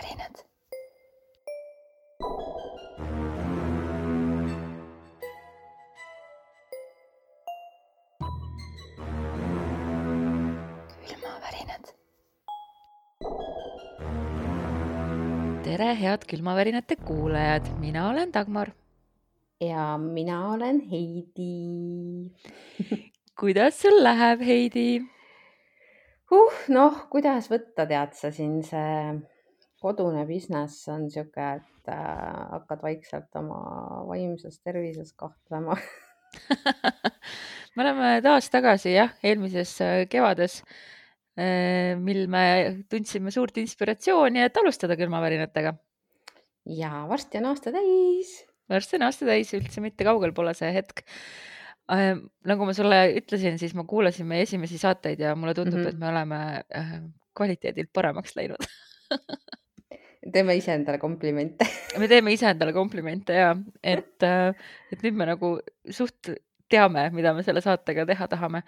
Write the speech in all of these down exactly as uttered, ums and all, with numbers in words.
külmavärinad. külmavärinad. tere, head külmavärinate kuulajad, mina olen Dagmar. Ja mina olen Heidi. Kuidas sul läheb, Heidi? Huh, noh, kuidas võtta, tead sa, siin see kodune business on siuke, et äh, hakkad vaikselt oma vaimses tervises kahtlema. Me oleme taas tagasi, jah, eelmises äh, kevades, äh, mil me tundsime suurt inspiratsiooni, et alustada külmavärinatega. Ja varsti on aasta täis. Varsti on aasta täis, üldse mitte kaugel pole see hetk. Äh, nagu ma sulle ütlesin, siis ma kuulasin meie esimesi saateid ja mulle tundub, Mhm. et me oleme äh, kvaliteedilt paremaks läinud. Teeme ise endale komplimente. me teeme ise endale komplimente ja et, äh, et nüüd me nagu suht teame, mida me selle saatega teha tahame.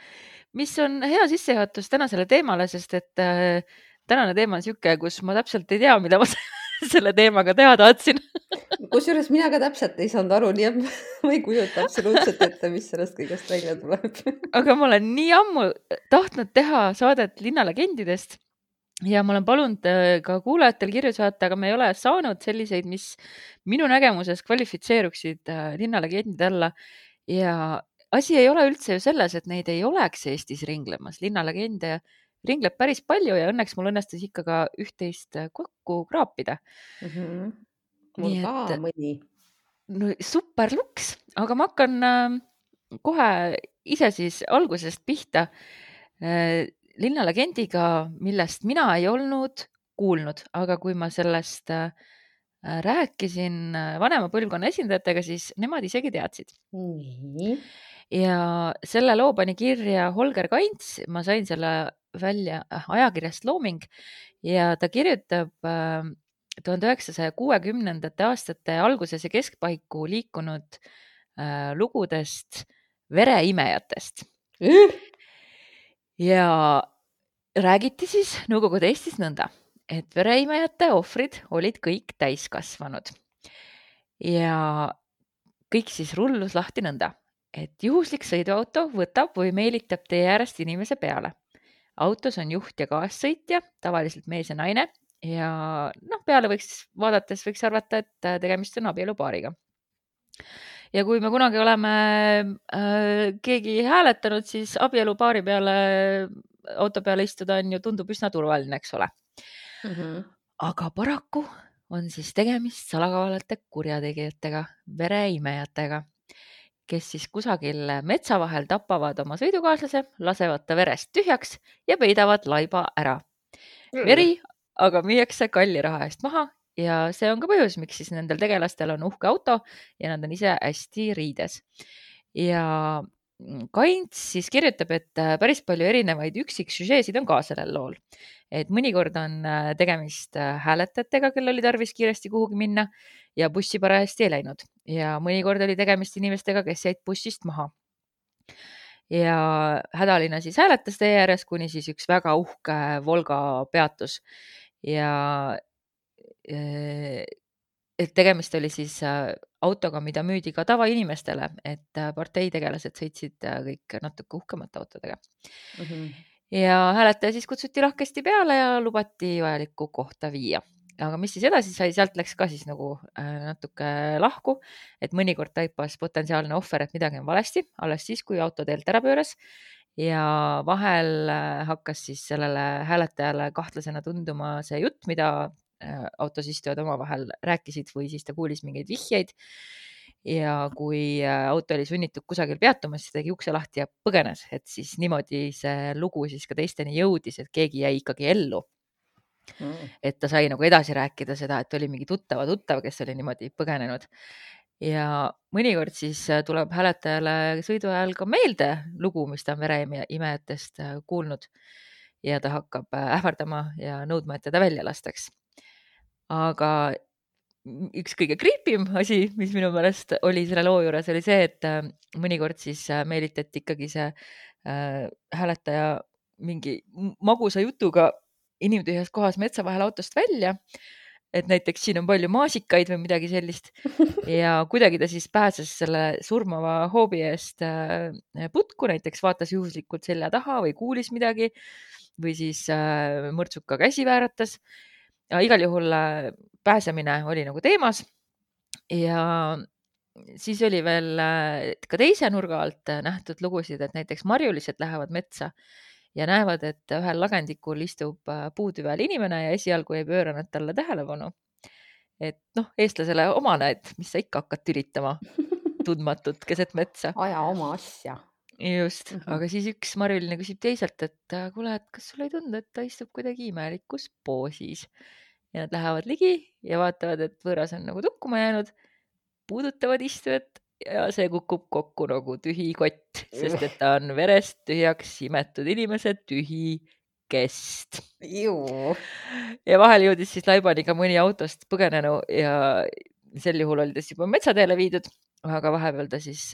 Mis on hea sissejuhatus tänasele teemale, sest et äh, tänane teema on siuke, kus ma täpselt ei tea, mida ma selle teemaga teha tahtsin. Kusjuures mina ka täpselt ei saanud aru, nii et ma ei kujuta absoluutselt ette, mis sellest kõigest välja tuleb. Aga ma olen nii ammu tahtnud teha saadet linnalegendidest ja ma olen palunud äh, ka kuulajatel kirju saata, aga me ei ole saanud selliseid, mis minu nägemuses kvalifitseeruksid äh, linnalegendide alla. Ja asi ei ole üldse ju selles, et neid ei oleks Eestis ringlemas. Linnalegende ringleb päris palju ja õnneks mul õnnestus ikka ka üht-teist kokku kraapida. Mhm. Mul Nii ka et mõni. no, super luks, aga ma hakkan äh, kohe ise siis algusest pihta äh, linnalegendiga, millest mina ei olnud kuulnud, aga kui ma sellest äh, rääkisin äh, vanema põlvkonna esindajatega, siis nemad isegi teadsid. Nii. Ja selle loo pani kirja Holger Kaints, ma sain selle välja äh, ajakirjast Looming ja ta kirjutab äh, tuhande üheksasaja kuuekümnendate aastate alguses ja keskpaiku liikunud äh, lugudest vereimejatest. Üh! Ja räägiti siis Nõukogude Eestis nõnda, et vereimejate ohvrid olid kõik täiskasvanud. Ja kõik siis rullus lahti nõnda, et juhuslik sõiduauto võtab või meelitab tee äärest inimese peale. Autos on juht ja kaassõitja, tavaliselt mees ja naine ja noh, peale võiks vaadates võiks arvata, et tegemist on abielupaariga. Ja kui me kunagi oleme äh, keegi hääletanud, siis abielupaari peale, auto peale istuda on ju tundub üsna turvaline, eks ole. Mhm. Aga paraku on siis tegemist salakavalate kurjategijatega, vereimejatega, kes siis kusagil metsa vahel tapavad oma sõidukaaslase, lasevad ta verest tühjaks ja peidavad laiba ära. Veri aga müüakse kalli raha eest maha ja see on ka põhjus, miks siis nendel tegelastel on uhke auto ja nad on ise hästi riides. Ja Kaints siis kirjutab, et päris palju erinevaid üksiksüžeesid on ka sellel lool. Et mõnikord on tegemist hääletajatega, kel oli tarvis kiiresti kuhugi minna ja bussi parajasti ei läinud. Ja mõnikord oli tegemist inimestega, kes jäid bussist maha. Ja hädaline siis hääletas tee ääres, kuni siis üks väga uhke Volga peatus. Ja et tegemist oli siis autoga, mida müüdi ka tavainimestele, et parteitegelased sõitsid kõik natuke uhkemate autodega. Mhm. Ja hääletaja siis kutsuti lahkesti peale ja lubati vajalikku kohta viia. Aga mis siis edasi sai, sealt läks ka siis nagu natuke lahku, et mõnikord taipas potentsiaalne ohver, et midagi on valesti, alles siis, kui auto teelt ära pööras. Ja vahel hakkas siis sellele hääletajale kahtlasena tunduma see jutt, mida autos istujad omavahel rääkisid või siis ta kuulis mingeid vihjeid. Ja kui auto oli sunnitud kusagil peatuma, siis tegi ukse lahti ja põgenes, et siis niimoodi see lugu siis ka teisteni jõudis, et keegi jäi ikkagi ellu. Mm. Et ta sai nagu edasi rääkida seda, et oli mingi tuttava tuttav, kes oli niimoodi põgenenud. Ja mõnikord siis tuleb hääletajale sõidu ajal ka meelde lugu, mis ta on vereimejatest kuulnud ja ta hakkab ähvardama ja nõudma, et teda välja lastaks. Aga üks kõige creepim asi, mis minu meelest oli selle loo juures, oli see, et mõnikord siis meelitati ikkagi see äh, hääletaja mingi magusa jutuga inimtühjas kohas metsa vahel autost välja et näiteks siin on palju maasikaid või midagi sellist. Ja kuidagi ta siis pääses selle surmava hoobi eest putku, näiteks vaatas juhuslikult selja taha või kuulis midagi või siis mõrtsuka käsi vääratas. Ja igal juhul pääsemine oli nagu teemas. Ja siis oli veel ka teise nurga alt nähtud lugusid, et näiteks marjulised lähevad metsa ja näevad, et ühel lagendikul istub puutüve all inimene ja esialgu ei pööra nad talle tähelepanu. Et noh, eestlasele omane, et mis sa ikka hakkad tülitama tundmatut keset metsa. Aja oma asja. Just, aga siis üks marjuline küsib teiselt, et kuule, et kas sul ei tundu, et ta istub kuidagi imelikus poosis. Ja nad lähevad ligi ja vaatavad, et võõras on nagu tukkuma jäänud, puudutavad istujat ja see kukub kokku nagu tühi kott, sest et ta on verest tühjaks imetud inimese tühi kest. Juu. Ja vahel jõudis siis laibani ka mõni autost põgenenu ja sel juhul oli ta juba metsateele viidud, aga vahepeal ta siis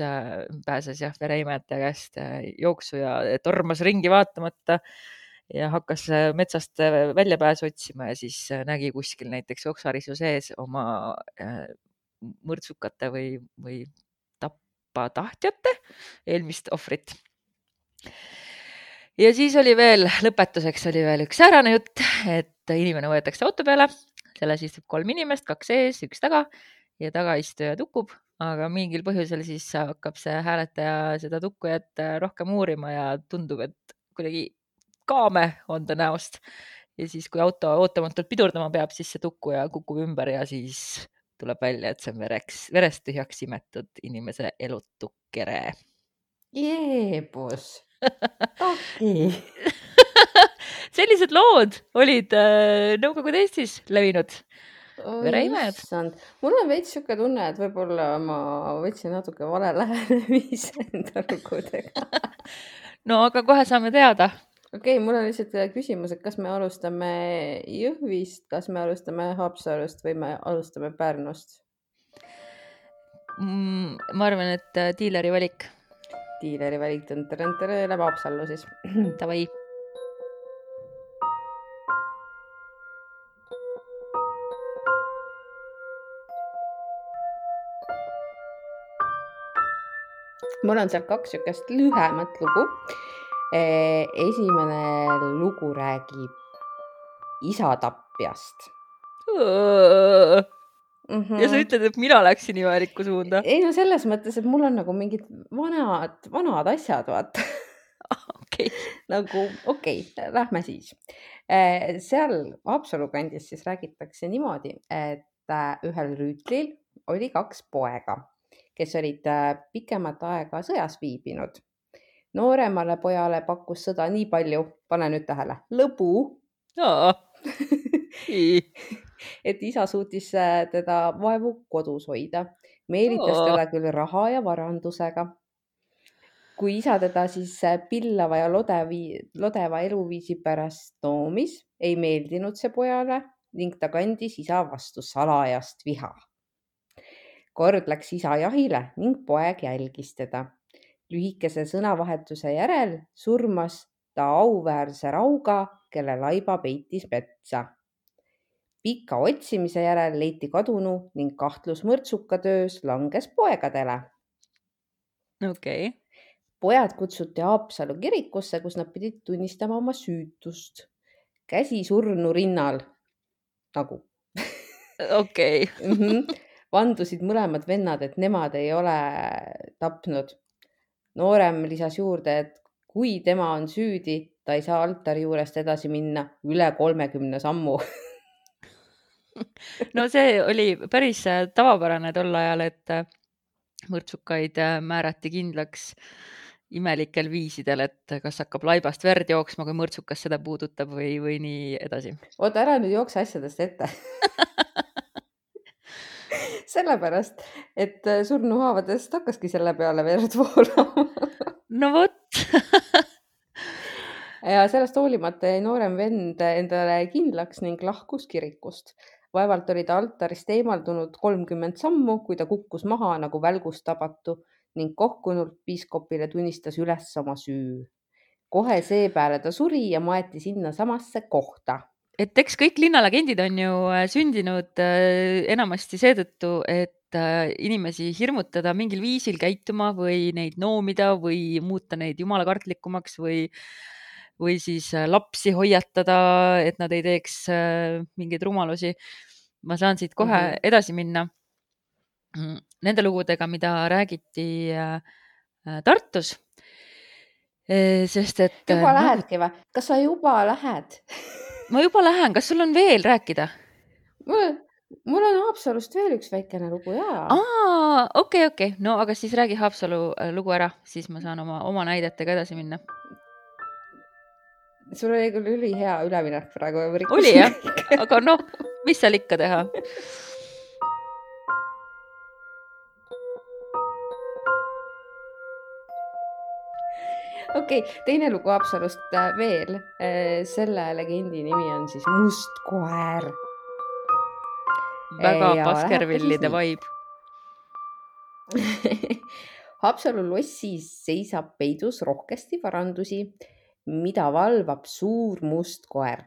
pääses jah vereimetaja käest jooksu ja tormas ringi vaatamata ja hakkas metsast väljapääsu otsima ja siis nägi kuskil näiteks oksarisu sees oma mõrtsukate või, või tahtjate eelmist ohvrit. Ja siis oli veel, lõpetuseks oli veel üks säärane jutt, et inimene võetakse auto peale, selles istub kolm inimest, kaks ees, üks taga ja tagaistuja tukub, aga mingil põhjusel siis hakkab see hääletaja seda tukkujat rohkem uurima ja tundub, et kuidagi kaame on ta näost. Ja siis, kui auto ootamatult pidurdama peab, siis see tukkuja kukub ümber ja siis tuleb välja, et see on vereks, verest tühjaks imetud inimese elutu kere. Jeebus. Okei. Sellised lood olid Nõukogude Eestis levinud. Vereimejad. Mul on veits siuke tunne, et võib-olla ma võtsin natuke vale lähenemise enda lugudega. No aga kohe saame teada. Okei, mul on lihtsalt küsimus, et kas me alustame Jõhvist, kas me alustame Haapsalust või me alustame Pärnust? Mm, ma arvan, et diileri valik. Diileri valik tõntere läheb Haapsallu siis. Tavai. Mul on seal kaks siukest lühemat lugu. Esimene lugu räägib isatapjast. Mm-hmm. Ja sa ütled, et mina läksin imelikku suunda. Ei no selles mõttes, et mul on nagu mingid vanad, vanad asjad, vaata. Okei. Nagu, okei, okay, lähme siis. Seal Haapsalu kandis siis räägitakse niimoodi, et ühel rüütlil oli kaks poega, kes olid pikemat aega sõjas viibinud. Nooremale pojale pakkus sõda nii palju, pane nüüd tähele, lõbu. Et isa suutis teda vaevu kodus hoida. Meelitas teda küll raha ja varandusega. Kui isa teda siis pillava ja lodevi, lodeva eluviisi pärast noomis, ei meeldinud see pojale ning ta kandis isa vastu salajast viha. Kord läks isa jahile ning poeg jälgis teda. Lühikese sõnavahetuse järel surmas ta auväärse rauga, kelle laiba peitis metsa. Pika otsimise järel leiti kadunu ning kahtlus mõrtsuka töös langes poegadele. Okei. Pojad kutsuti Haapsalu kirikusse, kus nad pidid tunnistama oma süütust. Käsi surnu rinnal. Nagu. Okei. Vandusid mõlemad vennad, et nemad ei ole tapnud. Noorem lisas juurde, et kui tema on süüdi, ta ei saa altari juurest edasi minna üle kolmekümne sammu. No see oli päris tavapärane tol ajal, et mõrtsukaid määrati kindlaks imelikel viisidel, et kas hakkab laibast verd jooksma, kui mõrtsukas seda puudutab või, või nii edasi. Oota, ära nüüd jookse asjadest ette. Sellepärast, et surnuhaavadest hakkaski selle peale verd voolama. No vot. Ja sellest hoolimata jäi noorem vend endale kindlaks ning lahkus kirikust. Vaevalt oli ta altarist eemaldunud kolmkümmend sammu, kui ta kukkus maha nagu välgust tabatu ning kohkunult piiskopile tunnistas üles oma süü. Kohe seepeale ta suri ja maeti sinna samasse kohta. et eks kõik linnalegendid on ju äh, sündinud äh, enamasti seetõttu, et äh, inimesi hirmutada mingil viisil käituma või neid noomida või muuta neid jumalakartlikumaks või, või siis äh, lapsi hoiatada, et nad ei teeks äh, mingeid rumalusi. Ma saan siit kohe Mhm. edasi minna mm, nende lugudega, mida räägiti äh, äh, Tartus. Eh, Sest et äh, Juba nagu lähedki või? Kas sa juba lähed? ma juba lähen, kas sul on veel rääkida? Mul, mul on Haapsalust veel üks väikene lugu, jaa. Aa, okei, okei. No aga siis räägi Haapsalu äh, lugu ära, siis ma saan oma, oma näidetega edasi minna. Sul oli küll ülihea üleminek praegu. ja ma Oli rikkusin jah? kõik. Aga noh, mis seal ikka teha? Okei, teine lugu Haapsalust äh, veel. Äh, Selle legendi nimi on siis Must koer. Väga Ja Baskervillide lähebki siis vibe. Haapsalu lossis seisab peidus rohkesti varandusi, mida valvab suur must koer.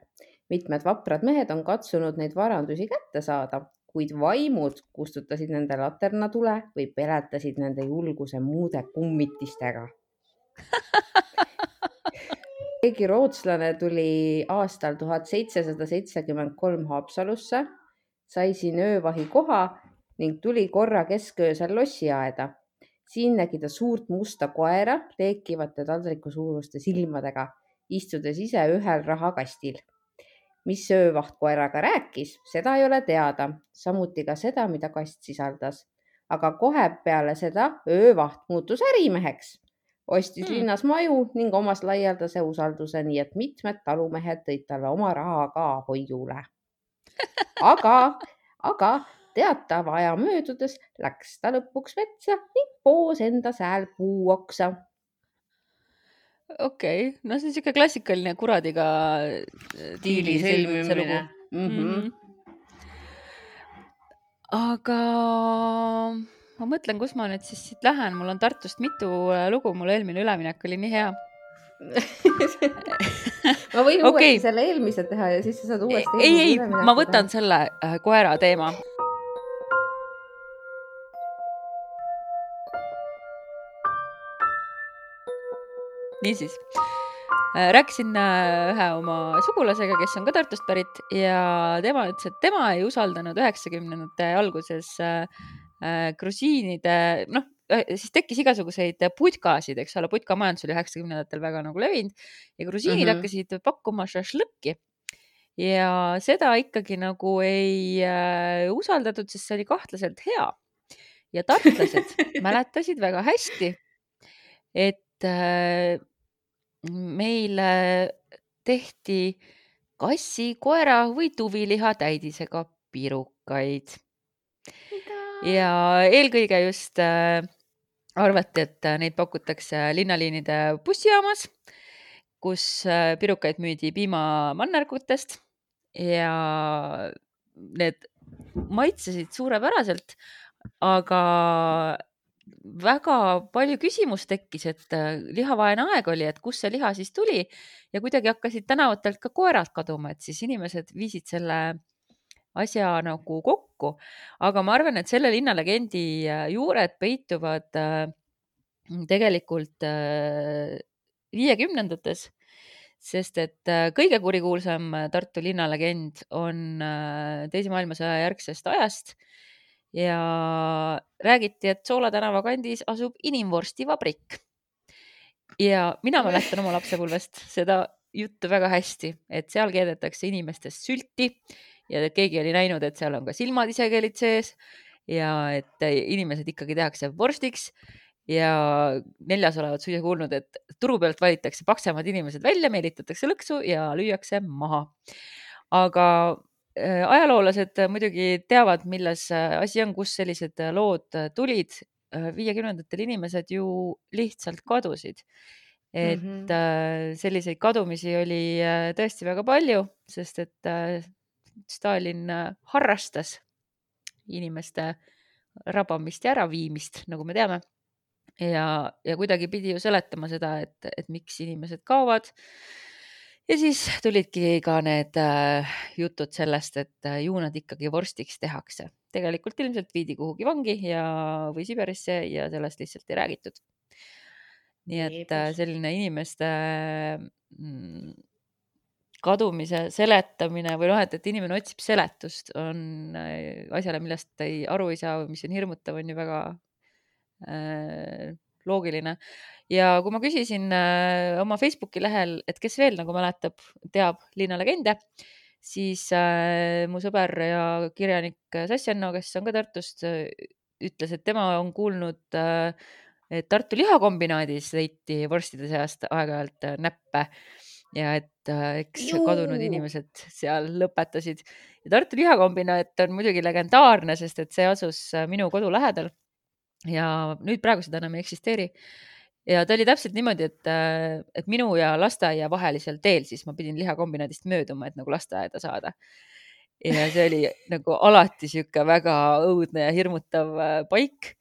Mitmed vaprad mehed on katsunud neid varandusi kätte saada, kuid vaimud kustutasid nende laternatule või peletasid nende julguse muude kummitistega. Keegi rootslane tuli aastal tuhat seitsesada seitsekümmend kolm Haapsalusse, sai siin öövahi koha ning tuli korra kesköösel lossiaeda. Siin nägi ta suurt musta koera leekivate taldriku suuruste silmadega, istudes ise ühel rahakastil. Mis öövaht koeraga rääkis, seda ei ole teada, samuti ka seda, mida kast sisaldas. Aga kohe peale seda öövaht muutus ärimeheks. Ostis Hmm. linnas maju ning omas laialdase usalduse, nii et mitmed talumehed tõid talle oma raha ka hoiule. Aga, aga teatava aja möödudes läks ta lõpuks metsa ning poos enda sääl puuoksa. Okei, no see on siuke klassikaline kuradiga äh, diili sõlmimise lugu. Mm -hmm. Aga ma mõtlen, kus ma nüüd siis siit lähen, mul on Tartust mitu äh, lugu, mul eelmine üleminek oli nii hea. ma võin Okei. uuesti selle eelmise teha ja siis sa saad uuesti ei, eelmise ei, ülemineku ma võtan selle äh, koera teema. Niisiis, Äh, rääkisin äh, ühe oma sugulasega, kes on ka Tartust pärit ja tema ütles, et tema ei usaldanud üheksakümnendate alguses äh, äh, grusiinide, noh, äh, siis tekkis igasuguseid putkasid, eks ole, putkamajandus oli üheksakümnendatel väga nagu levinud ja grusiinid Mhm. hakkasid pakkuma šašlõkki. Ja seda ikkagi nagu ei äh, usaldatud, sest see oli kahtlaselt hea. Ja tartlased mäletasid väga hästi, et äh, meile tehti kassi, koera või tuviliha täidisega pirukaid. Ja eelkõige just äh, arvati, et äh, neid pakutakse linnaliinide bussijaamas, kus äh, pirukaid müüdi piimamannergutest ja need maitsesid suurepäraselt, aga väga palju küsimust tekkis, et äh, lihavaene aeg oli, et kust see liha siis tuli ja kuidagi hakkasid tänavatelt ka koerad kaduma, et siis inimesed viisid selle asja nagu kokku. Aga ma arvan, et selle linnalegendi äh, juured peituvad äh, tegelikult äh, viiekümnendates, sest et äh, kõige kurikuulsam Tartu linnalegend on äh, Teise maailmasõja järgsest ajast ja räägiti, et Soola tänava kandis asub inimvorstivabrik. Ja mina mäletan oma lapsepõlvest seda juttu väga hästi, et seal keedetakse inimestest sülti ja keegi oli näinud, et seal on ka silmad isekeelid sees ja et inimesed ikkagi tehakse vorstiks ja neljas olevat suisa kuulnud, et turu pealt valitakse paksemad inimesed välja, meelitatakse lõksu ja lüüakse maha. Aga äh, ajaloolased muidugi teavad, milles äh, asi on, kus sellised äh, lood äh, tulid. Äh, viiekümnendatel inimesed ju lihtsalt kadusid. Et Mhm. äh, selliseid kadumisi oli äh, tõesti väga palju, sest et äh, Stalin äh, harrastas inimeste rabamist ja äraviimist, nagu me teame. Ja, ja kuidagi pidi ju seletama seda, et, et miks inimesed kaovad. ja siis tulidki ka need äh, jutud sellest, et äh, ju nad ikkagi vorstiks tehakse. Tegelikult ilmselt viidi kuhugi vangi ja, või Siberisse ja sellest lihtsalt ei räägitud. Nii et äh, selline inimeste mm, kadumise seletamine või noh, et, et inimene otsib seletust on äh, asjale, millest ei aru ei saa, mis on hirmutav, on ju väga äh, loogiline. Ja kui ma küsisin äh, oma Facebooki lehel, et kes veel nagu mäletab, teab linnalegende, siis äh, mu sõber ja kirjanik Sassjanno, kes on ka Tartust, ütles, et tema on kuulnud, äh, et Tartu lihakombinaadis leiti vorstide seast aeg-ajalt näppe ja et äh, eks Juu. kadunud inimesed seal lõpetasid. Ja Tartu lihakombinaat on muidugi legendaarne, sest et see asus minu kodu lähedal ja nüüd praegu seda enam ei eksisteeri. Ja ta oli täpselt niimoodi, et, et minu ja lasteaia vahelisel teel, siis ma pidin lihakombinaadist mööduma, et nagu lasteaeda saada. Ja see oli nagu alati sihuke väga õudne ja hirmutav paik.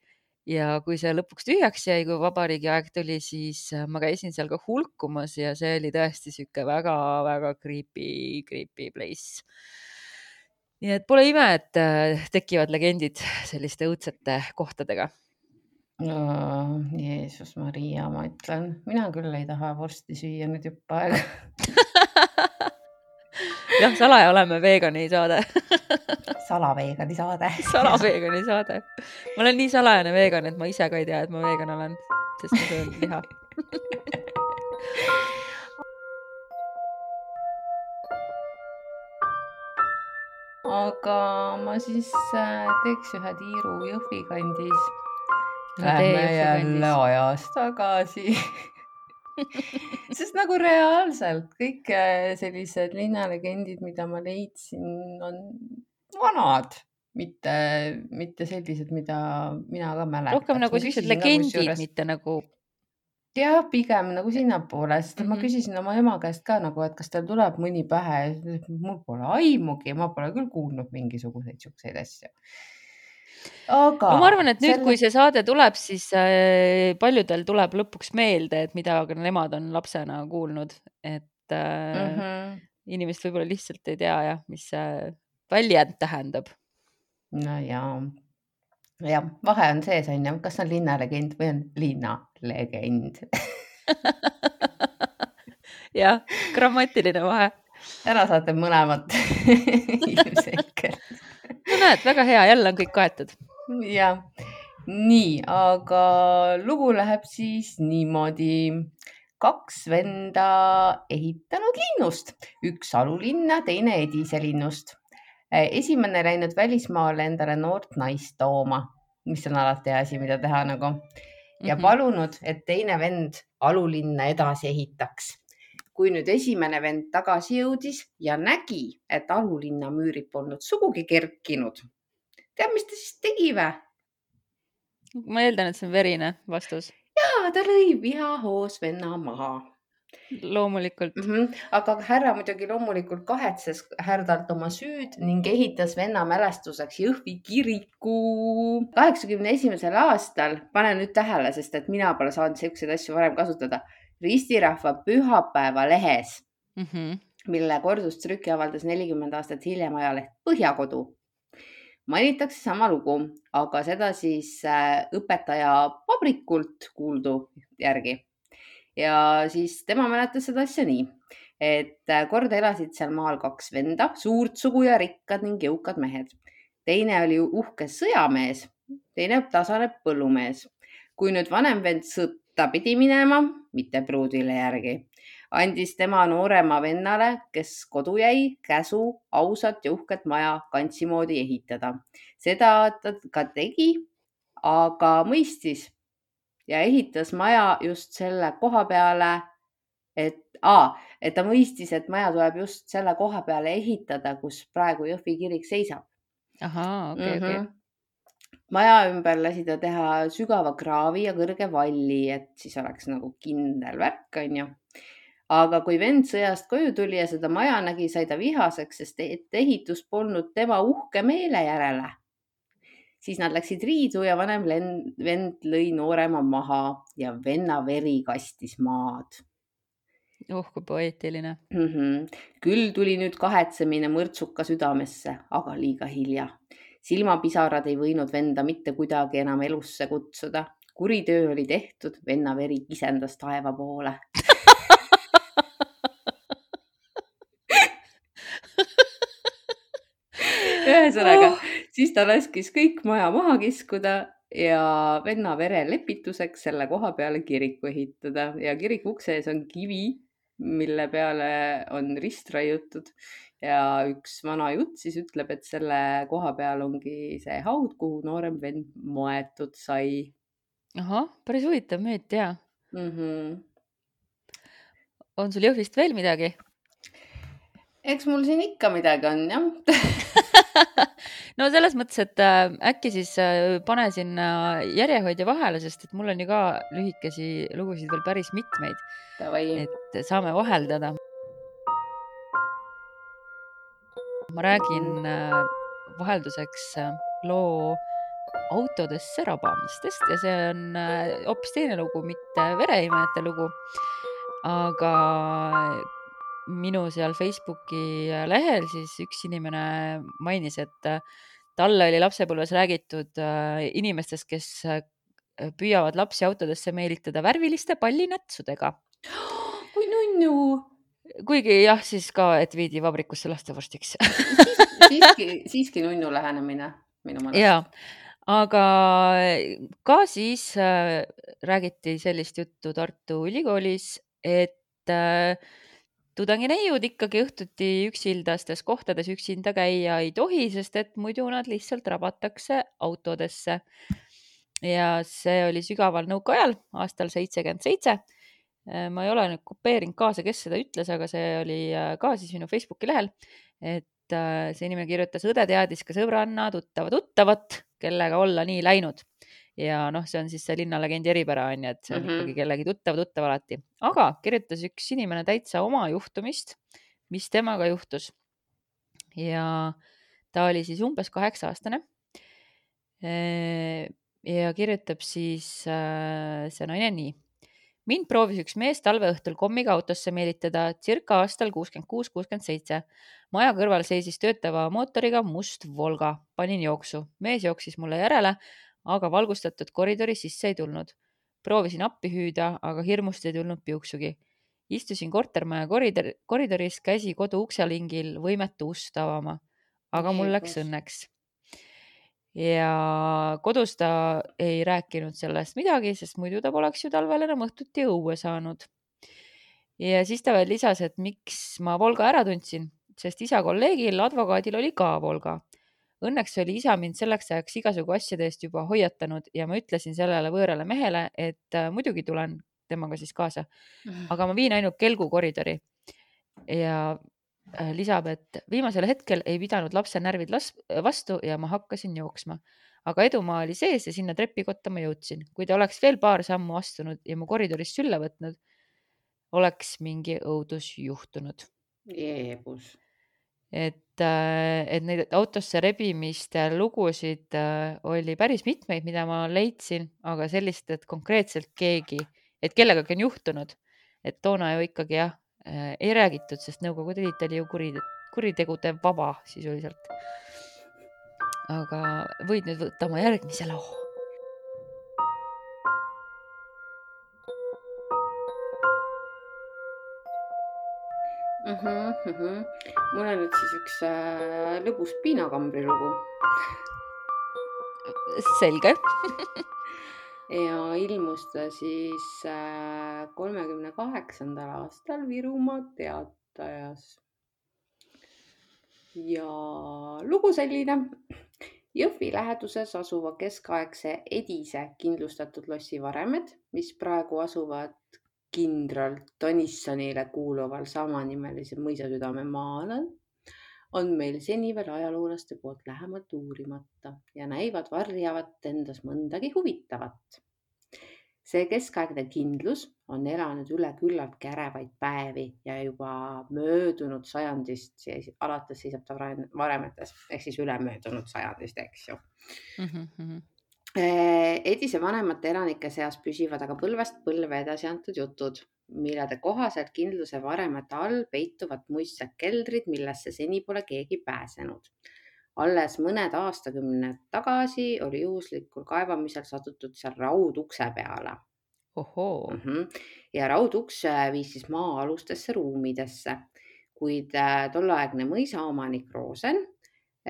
Ja kui see lõpuks tühjaks jäi, kui vabariigi aeg tuli, siis ma käisin seal ka hulkumas ja see oli tõesti sihuke väga-väga creepy, creepy place. Nii et pole ime, et tekivad legendid selliste õudsete kohtadega. Oh, Jeesus Maria, ma ütlen, mina küll ei taha vorsti süüa nüüd jupp aega. Jah, salaja oleme veegani saade. Salaveegani saade. Salaveegani saade. Ma olen nii salajane veegan, et ma ise ka ei tea, et ma veegan olen, sest ma söön liha. Aga ma siis teeks ühe tiiru Jõhvi kandis. Lähme jälle ajas tagasi. Sest nagu reaalselt kõik sellised linnalegendid, mida ma leidsin, on vanad, mitte, mitte sellised, mida mina ka mäletan. Rohkem nagu sellised legendid, juures... mitte nagu... Jah, pigem nagu sinnapoole, sest mm-hmm. ma küsisin oma ema käest ka nagu, et kas teil tuleb mõni pähe. Mul pole aimugi, ma pole küll kuulnud mingisuguseid siukseid asju. Aga no ma arvan, et nüüd, selle... kui see saade tuleb, siis äh, paljudel tuleb lõpuks meelde, et mida nemad on lapsena kuulnud, et äh, mm-hmm. inimesed võib-olla lihtsalt ei tea, jah, mis see väljend tähendab. No jaa, ja vahe on sees, on ju, kas on linnalegend või on linnalegend. jah, grammatiline vahe. Ära saate mõlemat ilmselgelt. No näed, väga hea, jälle on kõik kaetud. Ja, nii, aga lugu läheb siis niimoodi. Kaks venda ehitanud linnust, üks alulinna, teine Edise linnust. Esimene läinud välismaale endale noort naist tooma, mis on alati asi, mida teha nagu. Ja palunud, et teine vend alulinna edasi ehitaks. Kui nüüd esimene vend tagasi jõudis ja nägi, et alulinna müürid polnud sugugi kerkinud. Tead, mis ta siis tegi vä? Ma eeldan, et see on verine vastus. Jaa, ta lõi vihahoos venna maha. Loomulikult. Mm-hmm. Aga härra muidugi loomulikult kahetses härdalt oma süüd ning ehitas venna mälestuseks Jõhvi kiriku. kaheksakümne esimesel aastal, pane nüüd tähele, sest et mina pole saanud selliseid asju varem kasutada, Ristirahva pühapäeva lehes, mm-hmm. mille kordustrüki avaldas nelikümmend aastat hiljem ajaleht Põhjakodu. Mainitakse sama lugu, aga seda siis õpetaja Vabrikult kuuldu järgi. Ja siis tema mäletas seda asja nii, et kord elasid seal maal kaks venda, suurt sugu ja rikkad ning jõukad mehed. Teine oli uhke sõjamees, teine tasane põllumees. Kui nüüd vanem vend sõtta pidi minema, mitte pruudile järgi, andis tema noorema vennale, kes kodu jäi, käsu ausat ja uhket maja kantsimoodi ehitada. Seda ta ka tegi, aga mõistis ja ehitas maja just selle koha peale, et, aa, et ta mõistis, et maja tuleb just selle koha peale ehitada, kus praegu Jõhvi kirik seisab. Ahaa, okei, okei. Mm-hmm. Maja ümber lasi ta teha sügava kraavi ja kõrge valli, et siis oleks nagu kindel värk, on ju. Aga kui vend sõjast koju tuli ja seda maja nägi, sai ta vihaseks, sest ehitus polnud tema uhke meele järele. Siis nad läksid riidu ja vanem vend lõi noorema maha ja venna veri kastis maad. Oh, kui poeetiline. Mm-hmm. Küll tuli nüüd kahetsemine mõrtsuka südamesse, aga liiga hilja. Silmapisarad ei võinud venda mitte kuidagi enam elusse kutsuda. Kuritöö oli tehtud, venna veri kisendas taeva poole. Ühesõnaga, oh. Siis ta laskis kõik maja maha kiskuda ja venna vere lepituseks selle koha peale kiriku ehitada ja kiriku ukse ees on kivi, mille peale on rist raiutud ja üks vana jutt siis ütleb, et selle koha peal ongi see haud, kuhu noorem vend moetud sai. Ahah, päris huvitav müüt, jaa. Mm-hmm. On sul Jõhvist veel midagi? Eks mul siin ikka midagi on, jah. No selles mõttes, et äh, äkki siis äh, pane sinna järjehoidja vahele, sest et mul on ju ka lühikesi lugusid veel päris mitmeid. Tavai. Et saame vaheldada. Ma räägin äh, vahelduseks äh, loo autodesse rabamistest ja see on äh, hoopis teine lugu, mitte vereimejate lugu, aga minu seal Facebooki lehel siis üks inimene mainis, et talle oli lapsepõlves räägitud inimestest, kes püüavad lapsi autodesse meelitada värviliste pallinätsudega. Kui nunnu! Kuigi jah, siis ka, et viidi vabrikusse lastevorstiks. siiski, siiski nunnu lähenemine minu mõnest. Jaa, aga ka siis äh, räägiti sellist juttu Tartu Ülikoolis, et äh, tudangineiud ikkagi õhtuti üksildastes kohtades üksinda käia ei tohi, sest et muidu nad lihtsalt rabatakse autodesse. Ja see oli sügaval nõukaajal aastal seitsekümmend seitse. Ma ei ole nüüd kopeerinud kaasa, kes seda ütles, aga see oli ka siis minu Facebooki lehel, et see inimene kirjutas, õde teadis ka sõbranna tuttava tuttavat, kellega olla nii läinud. Ja noh, see on siis see linnalegendi eripära on ju, et see on mm-hmm. ikkagi kellegi tuttav tuttav alati. Aga kirjutas üks inimene täitsa oma juhtumist, mis temaga juhtus. Ja ta oli siis umbes kaheksa aastane. Ja kirjutab siis see naine nii. Mind proovis üks mees talveõhtul kommiga autosse meelitada circa aastal kuuskümmend kuus kuuskümmend seitse. Maja kõrval seisis töötava mootoriga must Volga. Panin jooksu. Mees jooksis mulle järele, aga valgustatud koridori sisse ei tulnud. Proovisin appi hüüda, aga hirmust ei tulnud piuksugi. Istusin kortermaja koridor, koridoris, käsi kodu ukselingil võimetu ust avama. Aga mul läks õnneks. Ja kodus ta ei rääkinud sellest midagi, sest muidu ta poleks ju talvel enam õhtuti õue saanud. Ja siis ta veel lisas, et miks ma Volga ära tundsin, sest isa kolleegil, advokaadil oli ka Volga. Õnneks oli isa mind selleks ajaks igasugu asjade eest juba hoiatanud ja ma ütlesin sellele võõrale mehele, et muidugi tulen temaga siis kaasa. Aga ma viin ainult kelgu koridori. Ja lisab, et viimasel hetkel ei pidanud lapse närvid vastu ja ma hakkasin jooksma. Aga edumaa oli sees ja sinna trepikotta ma jõudsin. Kui ta oleks veel paar sammu astunud ja mu koridoris sülle võtnud, oleks mingi õudus juhtunud. Jeebus. Et, et neid autosse rebimiste lugusid oli päris mitmeid, mida ma leidsin, aga sellist, et konkreetselt keegi, et kellegagi on juhtunud, et toona ju ikkagi jah, ei räägitud, sest Nõukogude Liit oli ju kurite, kuritegude vaba sisuliselt. Aga võid nüüd võtta oma järgmise loo. Mm-hmm, mm-hmm. Mul on nüüd siis üks äh, lõbus piinakambri lugu. Selge. Ja ilmus ta siis äh, kolmekümne kaheksandal aastal Virumaa Teatajas. Ja lugu selline. Jõhvi läheduses asuva keskaegse Edise kindlustatud lossi varemed, mis praegu asuvad kindral Tõnissonile kuuluval samanimelise mõisasüdame maalal, on meil seni veel ajaloolaste poolt lähemalt uurimata ja näivad varjavat endas mõndagi huvitavat. See keskaegne kindlus on elanud üle küllalt kärevaid päevi ja juba möödunud sajandist, alates seisab ta varemetes, ehk siis üle möödunud sajandist, eks ju. Mm-hmm. Edise vanemate elanike seas püsivad aga põlvest põlve edasi antud jutud, millede kohaselt kindluse varemete all peituvad muistsed keldrid, millesse seni pole keegi pääsenud. Alles mõned aastakümned tagasi oli juhuslikul kaevamisel satutud seal raudukse peale. Ohoo. Mhm. Ja rauduks viis siis maa-alustesse ruumidesse, kuid tolleaegne mõisaomanik Rosen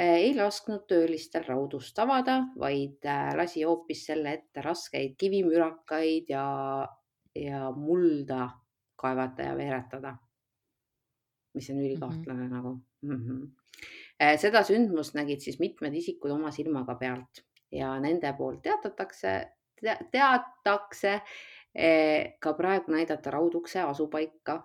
ei lasknud töölistel raudust avada, vaid lasi hoopis selle ette raskeid kivimürakaid ja, ja mulda kaevata ja veeretada, mis on ülikahtlane mm-hmm. nagu. Mm-hmm. Seda sündmust nägid siis mitmed isikud oma silmaga pealt ja nende poolt teatatakse, te, teatakse ka praegu näidata raudukse asupaika.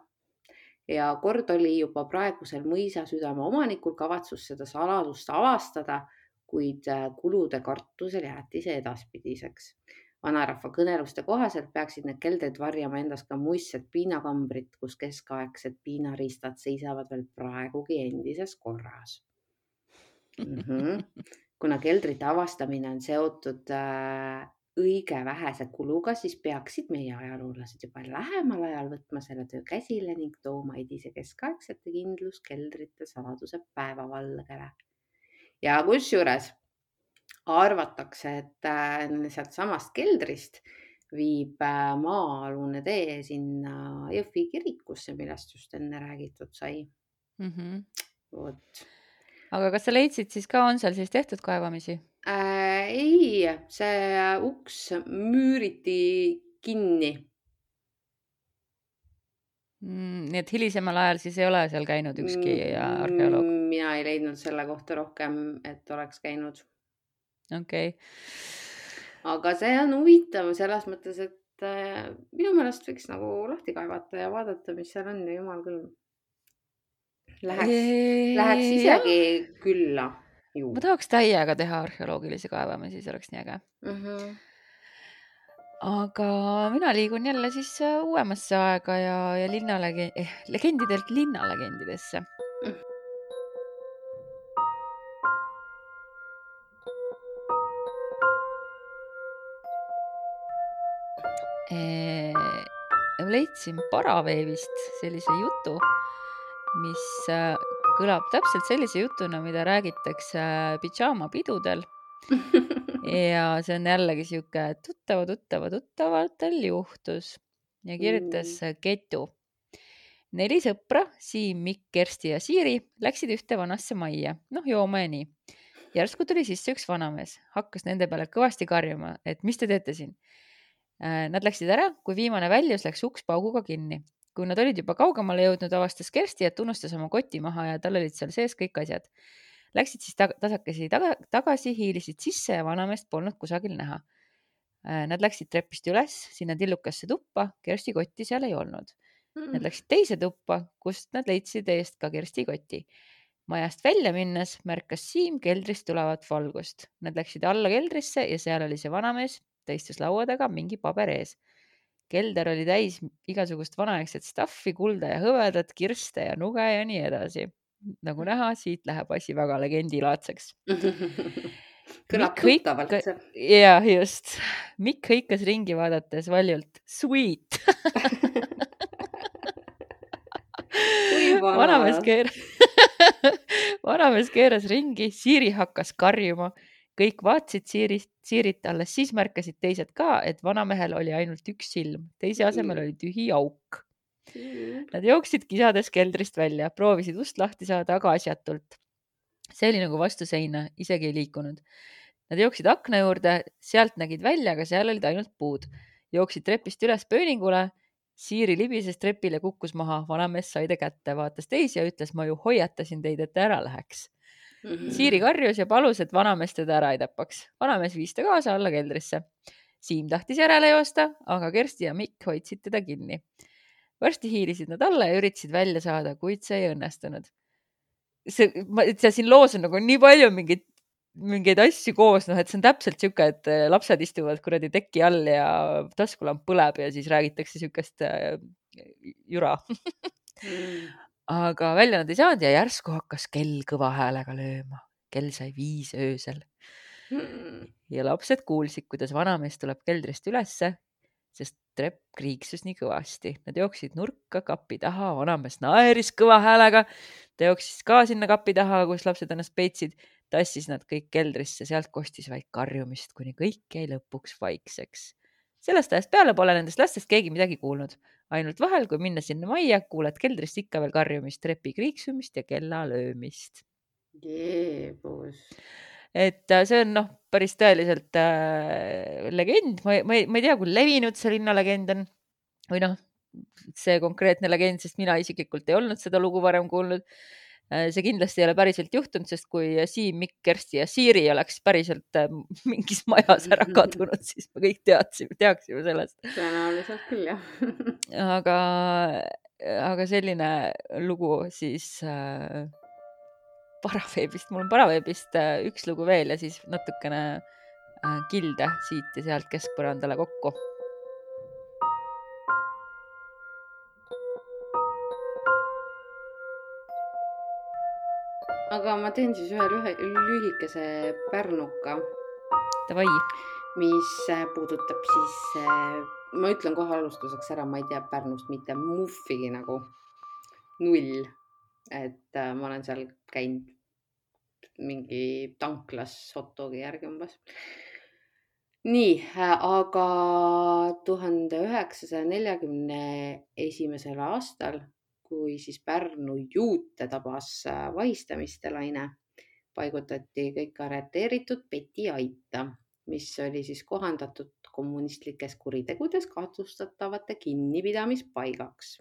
Ja kord oli juba praegusel mõisa südame omanikul kavatsus seda saladust avastada, kuid kulude kartusel jäeti see edaspidiseks. Vanarahva kõneluste kohaselt peaksid need keldrid varjama endas ka muistsed piinakambrid, kus keskaegsed piinaristad seisavad veel praegugi endises korras. Mm-hmm. Kuna keldrite avastamine on seotud äh, õige vähese kuluga, siis peaksid meie ajaloolased juba lähemal ajal võtma selle töö käsile ning tooma edise keskaegsete kindluskeldrite saladuse päevavalgele. Ja kusjuures arvatakse, et äh, sealt samast keldrist viib äh, maa-alune tee sinna Jõhvi kirikusse, millest just enne räägitud sai. Mm-hmm. Vot. Aga kas sa leidsid siis ka, on seal siis tehtud kaevamisi? Äh, ei, see uks müüriti kinni. Mm, nii et hilisemal ajal siis ei ole seal käinud ükski arheoloog? Mina ei leidnud selle kohta rohkem, et oleks käinud. Okei. Okay. Aga see on huvitav selles mõttes, et äh, minu meelest võiks nagu lahti kaevata ja vaadata, mis seal on ja jumal küll. Läheks, eee, läheks isegi jah. Külla. Ju. Ma tahaks täiega teha arheoloogilisi kaevamisi, see oleks nii äge. Mm-hmm. Aga mina liigun jälle siis uuemasse aega ja, ja linnalege- eh, legendidelt linnalegendidesse. Mm. E- leidsin Paraveevist sellise jutu, mis kõlab täpselt sellise jutuna, mida räägitakse pidžaamapidudel. Ja see on jällegi siuke tuttava, tuttava, tuttavatel juhtus ja kirjutas mm. Ketu. Neli sõpra, Siim, Mikk, Kersti ja Siiri läksid ühte vanasse majja. Noh, jooma ja nii. Järsku tuli sisse üks vanamees, hakkas nende peale kõvasti karjuma, et mis te teete siin? Nad läksid ära, kui viimane väljus läks uks pauguga kinni. Kui nad olid juba kaugemale jõudnud, avastas Kersti, et unustas oma koti maha ja tal olid seal sees kõik asjad. Läksid siis tag- tasakesi taga- tagasi, hiilisid sisse ja vanameest polnud kusagil näha. Nad läksid trepist üles, sinna tillukasse tuppa, Kersti kotti seal ei olnud. Nad läksid teise tuppa, kust nad leidsid eest ka Kersti koti. Majast välja minnes märkas Siim keldrist tulevat valgust. Nad läksid alla keldrisse ja seal oli see vanamees, ta istus laua taga, mingi paber ees. Kelder oli täis igasugust vanaegset staffi, kulda ja hõvedat, kirste ja nuge ja nii edasi. Nagu näha, siit läheb asi väga legendilaadseks. Kõlab tuttavalt see. Ja, just. Mikk hõikas ringi vaadates valjult. Sweet! Vanamees keeras... vanamees keeras ringi, Siiri hakkas karjuma. Kõik vaatsid Siirit, Siirit, alles siis märkasid teised ka, et vanamehel oli ainult üks silm. Teise asemel oli tühi auk. Nad jooksid kisades keldrist välja, proovisid ust lahti saada, aga asjatult. See oli nagu vastu seina, isegi ei liikunud. Nad jooksid akna juurde, sealt nägid välja, aga seal olid ainult puud. Jooksid trepist üles pööningule. Siiri libises trepile, kukkus maha, vanamees sai ta kätte, vaatas teisi ja ütles, ma ju hoiatasin teid, et ära läheks. Mm-hmm. Siiri karjus ja palus, et vanamees teda ära ei tapaks. Vanamees viis ta kaasa alla keldrisse. Siim tahtis järele joosta, aga Kersti ja Mikk hoidsid teda kinni. Varsti hiilisid nad alla ja üritasid välja saada, kuid see ei õnnestunud. See, ma, see siin loos on nagu nii palju mingeid, mingeid asju koos, noh, et see on täpselt siuke, et lapsed istuvad kuradi teki all ja taskulamp põleb ja siis räägitakse siukest äh, jura. mm. Aga välja nad ei saanud ja järsku hakkas kell kõva häälega lööma. Kell sai viis öösel. ja lapsed kuulsid, kuidas vanamees tuleb keldrist ülesse, sest trepp kriiksus nii kõvasti. Nad jooksid nurka kapi taha, vanamees naeris kõva häälega. Ta jooksis ka sinna kapi taha, kus lapsed ennast peitsid, tassis nad kõik keldrisse, sealt kostis vaid karjumist, kuni kõik jäi lõpuks vaikseks. Sellest ajast peale pole nendest lastest keegi midagi kuulnud. Ainult vahel, kui minna sinna majja, kuuled keldrist ikka veel karjumist, trepi kriiksumist ja kella löömist. Jeebus. Et see on noh, päris tõeliselt äh, legend. Ma, ma, ei, ma ei tea, kui levinud see linnalegend on või noh, see konkreetne legend, sest mina isiklikult ei olnud seda lugu varem kuulnud. See kindlasti ei ole päriselt juhtunud, sest kui Siim, Mikk, Kersti ja Siiri oleks päriselt mingis majas ära kadunud, siis me kõik teadsime, teaksime sellest. Tõenäoliselt küll, jah. aga, aga selline lugu siis äh, Paraveebist, mul on Paraveebist äh, üks lugu veel ja siis natukene äh, kilde siit ja sealt keskpõrandale kokku. Aga ma teen siis ühe lühe, lühikese pärnuka, Tavai. mis puudutab siis, ma ütlen kohe alustuseks ära, ma ei tea Pärnust mitte muffigi nagu null, et ma olen seal käinud mingi tanklas hotdogi järgi umbes. Nii, aga tuhande üheksasaja neljakümne esimesel aastal, kui siis Pärnu juute tabas vahistamiste laine, paigutati kõik arreteeritud Peti aita, mis oli siis kohandatud kommunistlikes kuritegudes kahtlustatavate kinnipidamispaigaks.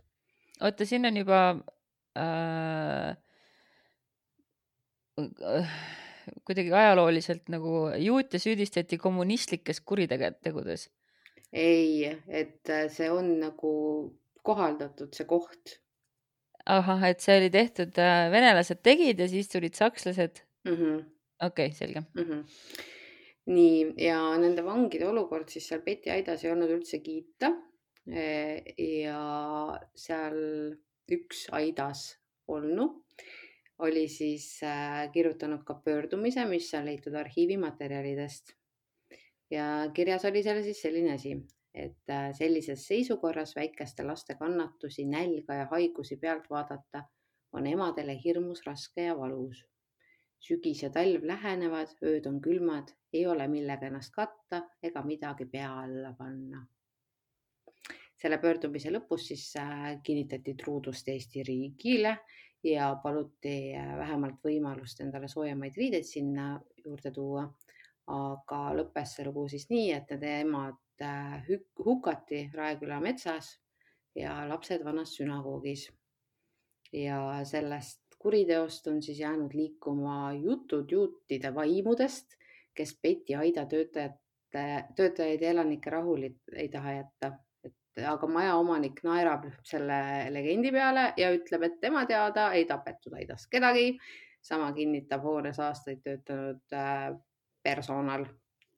Oota, siin on juba äh, äh, kuidagi ajalooliselt nagu juute süüdistati kommunistlikes kuritegudes. Ei, et see on nagu kohaldatud see koht. Ahah, et see oli tehtud, äh, venelased tegid ja siis tulid sakslased. Mm-hmm. Okei, okay, selge. Mm-hmm. Nii, ja nende vangide olukord siis seal Peti aidas ei olnud üldse kiita. Ja seal üks aidas olnu oli siis äh, kirjutanud ka pöördumise, mis on leitud arhiivimaterjalidest. Ja kirjas oli seal siis selline asi, et äh, sellises seisukorras väikeste laste kannatusi, nälga ja haigusi pealt vaadata on emadele hirmus raske ja valus. Sügis ja talv lähenevad, ööd on külmad, ei ole millega ennast katta ega midagi pea alla panna. Selle pöördumise lõpus siis äh, kinnitati truudust Eesti riigile ja paluti äh, vähemalt võimalust endale soojemaid riideid sinna juurde tuua. Aga lõppes see lugu siis nii, et need emad äh, hukati Raeküla metsas ja lapsed vanas sünagoogis. Ja sellest kuriteost on siis jäänud liikuma jutud juutide vaimudest, kes Peti aida töötajate, töötajaid ja elanike rahul ei taha jätta. Et, aga maja omanik naerab selle legendi peale ja ütleb, et tema teada ei tapetud aidas kedagi. Sama kinnitab hoones aastaid töötanud personal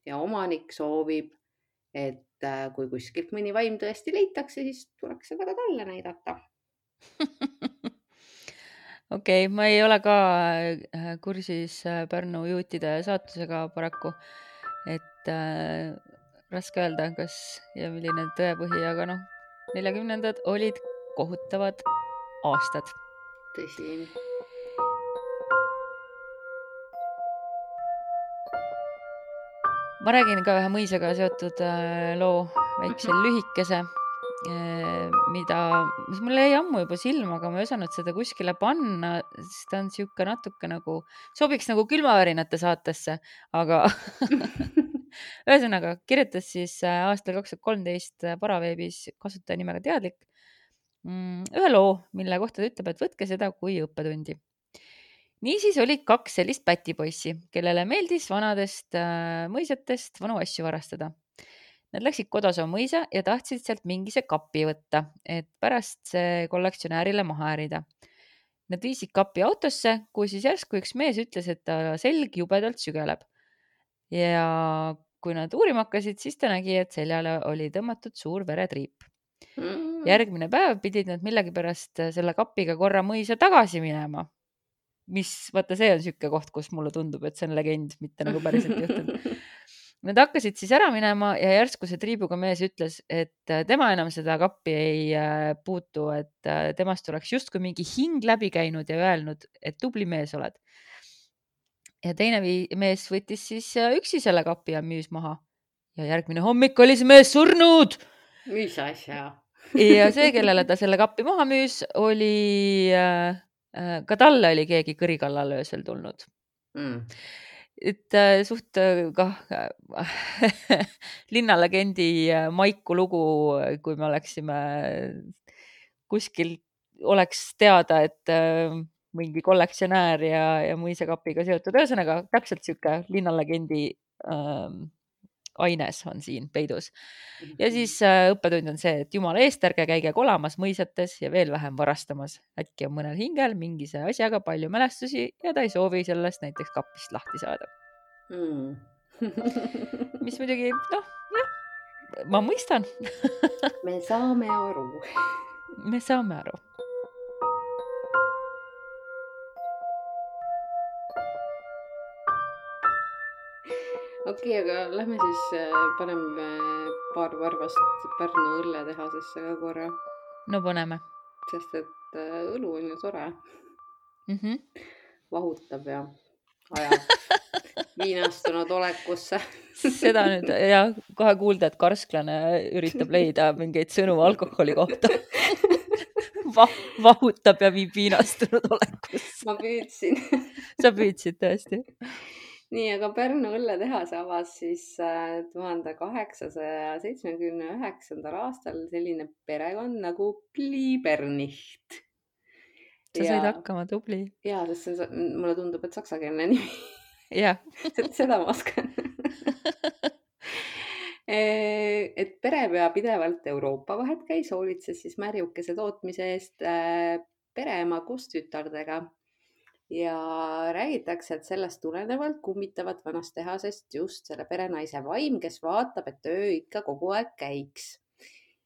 ja omanik soovib, et kui kuskilt mõni vaim tõesti leitakse, siis tuleks seda ka talle näidata. Okei, okay, ma ei ole ka kursis Pärnu juutide saatusega paraku, et äh, raske öelda, kas ja milline tõepõhi, aga noh, neljakümnendad olid kohutavad aastad. Tõsi. Ma räägin ka ühe mõisaga seotud loo, väikse lühikese, mida, mis mulle jäi ammu juba silma, aga ma ei osanud seda kuskile panna, sest ta on siuke natuke nagu, sobiks nagu külmavärinate saatesse, aga ühesõnaga kirjutas siis aastal kaks tuhat kolmteist Paraveebis kasutaja nimega Teadlik ühe loo, mille kohta ta ütleb, et võtke seda kui õppetundi. Niisiis olid kaks sellist pätipoissi, kellele meeldis vanadest äh, mõisatest vanu asju varastada. Nad läksid Kodaso mõisa ja tahtsid sealt mingise kapi võtta, et pärast see kollektsionäärile maha ärida. Nad viisid kapi autosse, kui siis järsku üks mees ütles, et ta selg jubedalt sügeleb. Ja kui nad uurima hakkasid, siis ta nägi, et seljale oli tõmmatud suur veretriip. Järgmine päev pidid nad millegipärast selle kapiga korra mõisa tagasi minema. Mis, vaata, see on siuke koht, kus mulle tundub, et see on legend, mitte nagu päriselt juhtunud. Nad hakkasid siis ära minema ja järsku see triibuga mees ütles, et tema enam seda kappi ei puutu, et temast oleks justkui mingi hing läbi käinud ja öelnud, et tubli mees oled. Ja teine mees võttis siis üksi selle kapi ja müüs maha. Ja järgmine hommik oli see mees surnud. Mis asja? Ja see, kellele ta selle kappi maha müüs, oli, ka talle oli keegi kõrikallal öösel tulnud. Mm. Et suht kah linnalegendi Maiku lugu, kui me oleksime kuskil, oleks teada, et mingi kollektsionäär ja, ja mõisakapiga seotud. Ühesõnaga, täpselt siuke linnalegendi ähm, aines on siin peidus. Ja siis äh, õppetund on see, et jumala eest, ärge käige kolamas mõisates ja veel vähem varastamas. Äkki on mõnel hingel mingi see asjaga palju mälestusi ja ta ei soovi sellest näiteks kapist lahti saada. Mm. Mis muidugi, noh, jah, ma mõistan. Me saame aru. Me saame aru. Okei, okay, aga lähme siis paneme paar varvast Pärnu õlletehasesse ka korra. No paneme. Sest et õlu on ju tore. Mm-hmm. Vahutab ja ajab viinastunud olekusse. Seda nüüd, jah, kohe kuulda, et karsklane üritab leida mingeid sõnu alkoholi kohta. Va- vahutab ja viib viinastunud olekusse. Ma püüdsin. Sa püüdsid tõesti. Nii, aga Pärnu õlletehas avas siis tuhande kaheksasaja seitsmekümne üheksandal aastal selline perekond nagu Bliebernich. Sa said ja, hakkama, tubli. Jaa, sest see, mulle tundub, et saksakeelne nimi. Jah. Seda ma oskan. Et perepea pidevalt Euroopa vahet käis, hoolitses siis märjukese tootmise eest pereema koos tütardega. Ja räägitakse, et sellest tulenevalt kummitavad vanast tehasest just selle perenaise vaim, kes vaatab, et töö ikka kogu aeg käiks.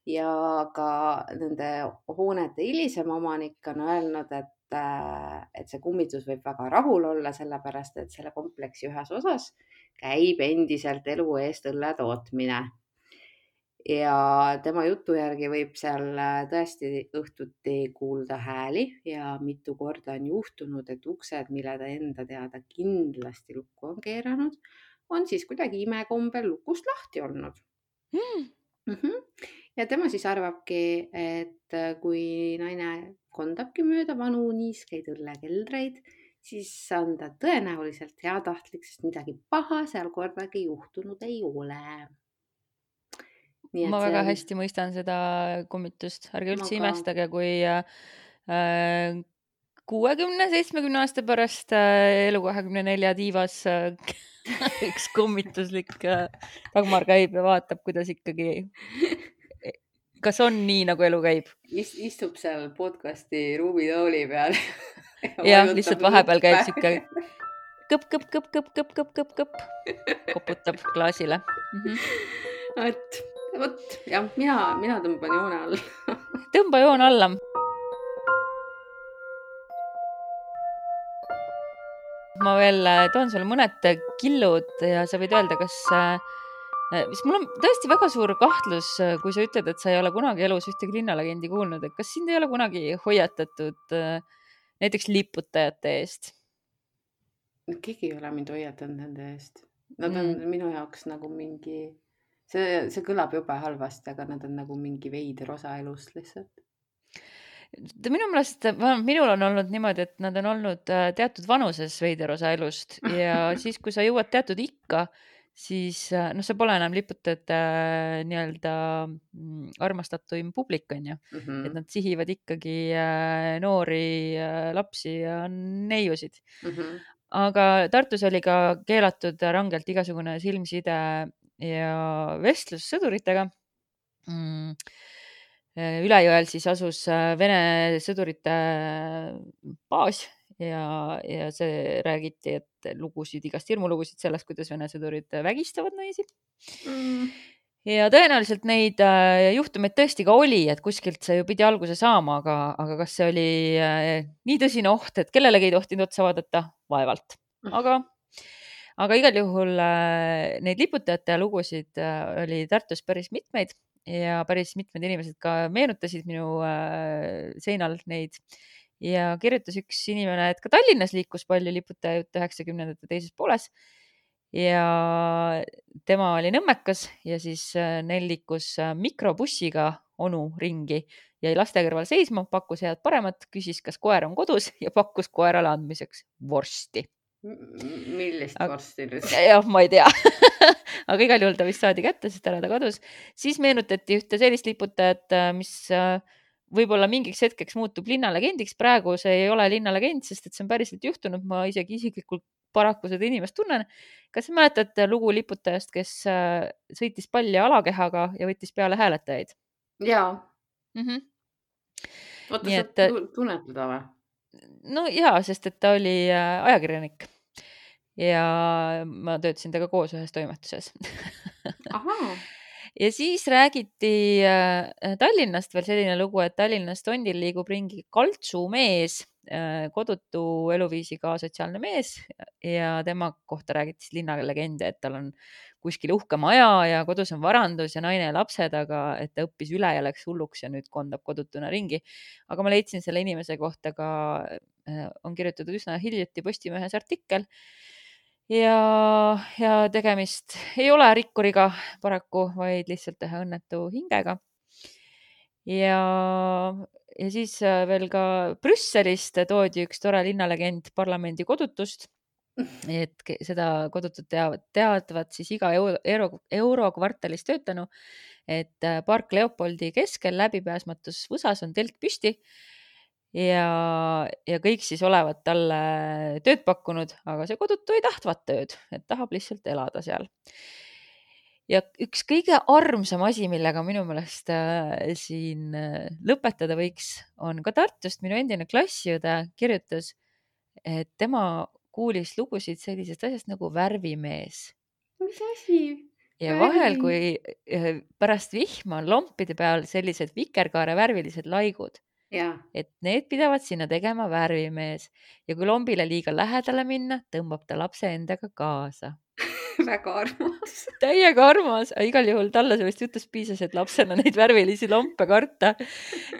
Ja ka nende hoonete hilisem omanik on öelnud, et, et see kummitus võib väga rahul olla, sellepärast, et selle kompleksi ühes osas käib endiselt elu eest õlle tootmine. Ja tema jutu järgi võib seal tõesti õhtuti kuulda hääli ja mitu korda on juhtunud, et uksed, mille ta enda teada kindlasti lukku on keeranud, on siis kuidagi imekombel lukust lahti olnud. Mm. Mm-hmm. Ja tema siis arvabki, et kui naine kondabki mööda vanu niiskeid õllekeldreid, siis on ta tõenäoliselt heatahtlik, sest midagi paha seal kordagi juhtunud ei ole. Nii, ma väga on... hästi mõistan seda kummitust. Ärge üldse ma imestage, kui äh, kuuekümne seitsmekümne aasta pärast äh, elu kahekümne nelja tiivas äh, üks kummituslik äh, Dagmar käib ja vaatab, kuidas ikkagi, kas on nii, nagu elu käib. Ist, istub seal podcasti ruumitooli peal. ja lihtsalt vahepeal käib siuke kõp, kõp, kõp, kõp, kõp, kõp, kõp, kõp, koputab klaasile. Mm-hmm. Et Vot, jah, mina, mina tõmban joone alla. Tõmba joon alla. Ma veel toon sulle mõned killud ja sa võid öelda, kas, mis mul on tõesti väga suur kahtlus, kui sa ütled, et sa ei ole kunagi elus ühtegi linnalegendi kuulnud, et kas sind ei ole kunagi hoiatatud näiteks liputajate eest? Keegi ei ole mind hoiatanud nende eest. Nad on mm. minu jaoks nagu mingi... See, see kõlab jube halvasti, aga nad on nagu mingi veider osa elust lihtsalt. Minu meelest, minul on olnud niimoodi, et nad on olnud teatud vanuses veider osa elust ja siis, kui sa jõuad teatud ikka, siis no see pole enam liputajate nii-öelda armastatuim publik, on ju. Mm-hmm. Et nad sihivad ikkagi noori lapsi ja neiusid. Mm-hmm. Aga Tartus oli ka keelatud rangelt igasugune silmside ja vestlus sõduritega. Mm. Ülejõel siis asus Vene sõdurite baas ja, ja see räägiti, et lugusid, igast hirmulugusid sellest, kuidas Vene sõdurid vägistavad naisi. Mm. Ja tõenäoliselt neid juhtumeid tõesti ka oli, et kuskilt see ju pidi alguse saama, aga, aga kas see oli nii tõsine oht, et kellelegi ei tohtinud otsa vaadata? Vaevalt. Aga aga igal juhul neid liputajate lugusid oli Tartus päris mitmeid ja päris mitmed inimesed ka meenutasid minu seinal neid ja kirjutas üks inimene, et ka Tallinnas liikus palju liputaja jutt üheksakümnendate teises pooles ja tema oli nõmmekas ja siis neil liikus mikrobussiga onu ringi, jäi laste kõrval seisma, pakkus head paremat, küsis, kas koer on kodus ja pakkus koerale andmiseks vorsti. Millist vorsti nüüd? Jah, ma ei tea. Aga igal juhul ta vist saadi kätte, sest ära ta kadus. Siis meenutati ühte sellist liputajat, mis võib-olla mingiks hetkeks muutub linnalegendiks. Praegu see ei ole linnalegend, sest et see on päriselt juhtunud. Ma isegi isiklikult paraku seda inimest tunnen. Kas mäletad lugu liputajast, kes sõitis palli alakehaga ja võttis peale hääletajaid? Jaa. Mm-hmm. Oota, sa et... tunned teda või? No jaa, sest et ta oli ajakirjanik ja ma töötasin temaga koos ühes toimetuses. Ahaa. Ja siis räägiti Tallinnast veel selline lugu, et Tallinnas tondil liigub ringi kaltsumees, kodutu eluviisiga sotsiaalne mees ja tema kohta räägiti linnalegende, et tal on kuskil uhke maja ja kodus on varandus ja naine ja lapsed, aga et ta õppis üle ja läks hulluks ja nüüd kondab kodutuna ringi. Aga ma leidsin selle inimese kohta ka, on kirjutatud üsna hiljuti Postimehes artikkel ja, ja tegemist ei ole rikkuriga paraku, vaid lihtsalt ühe õnnetu hingega. Ja, ja siis veel ka Brüsselist toodi üks tore linnalegend parlamendi kodutust, et seda kodutut teavad, teadvad siis iga euro, euro, eurokvartalis töötanu, et Park Leopoldi keskel läbipääsmatus võsas on telk püsti ja, ja kõik siis olevat talle tööd pakkunud, aga see kodutu ei tahtvat tööd, et tahab lihtsalt elada seal. Ja üks kõige armsam asi, millega minu meelest siin lõpetada võiks, on ka Tartust minu endine klassiõde kirjutas, et tema kuulis lugusid sellisest asjast nagu värvimees. Mis asi? Ja vahel, kui pärast vihma on lompide peal sellised vikerkaare värvilised laigud, ja. Et need pidavad sinna tegema värvimees ja kui lombile liiga lähedale minna, tõmbab ta lapse endaga kaasa. Väga armas. Täiega armas, igal juhul talle sellest jutust piisas, et lapsena neid värvilisi lompe karta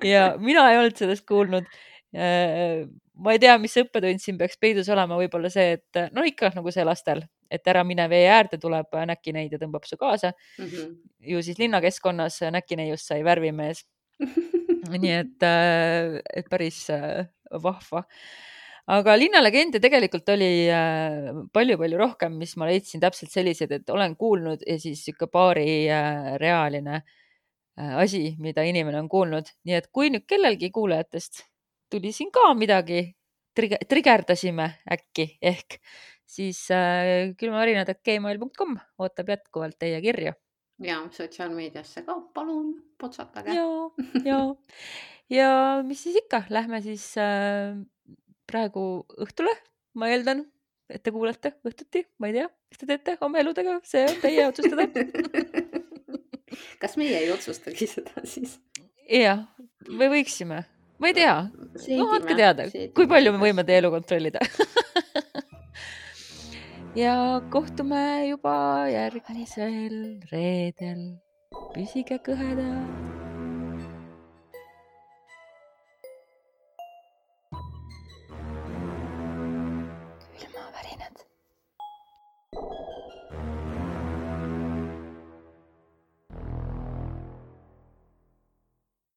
ja mina ei olnud sellest kuulnud. Ma ei tea, mis õppetund siin peaks peidus olema, võib-olla see, et no ikka nagu see lastel, et ära mine vee äärde, tuleb näkineid ja tõmbab su kaasa. Mm-hmm. Ju siis linnakeskkonnas näkineiust sai värvimees. Nii et, et päris vahva. Aga linnalegende tegelikult oli palju-palju rohkem, mis ma leidsin täpselt sellised, et olen kuulnud ja siis ikka paari reaaline asi, mida inimene on kuulnud. Nii et kui nüüd kellelgi kuulajatest tuli siin ka midagi, trigerdasime äkki ehk, siis äh, külmavärinad at gmail dot com ootab jätkuvalt teie kirju. Ja sotsiaalmeediasse ka, palun, potsatage. Ja, ja. ja mis siis ikka, lähme siis äh, praegu õhtule, ma eeldan, et te kuulete õhtuti, ma ei tea, mis te teete oma eludega, see on teie otsustada. Kas meie ei otsustagi seda siis? Jah, me võiksime. Ma ei tea, no andke teada, kui palju me võime teie elu kontrollida. Ja kohtume juba järgmisel reedel. Püsige kõheda. Külmavärinad.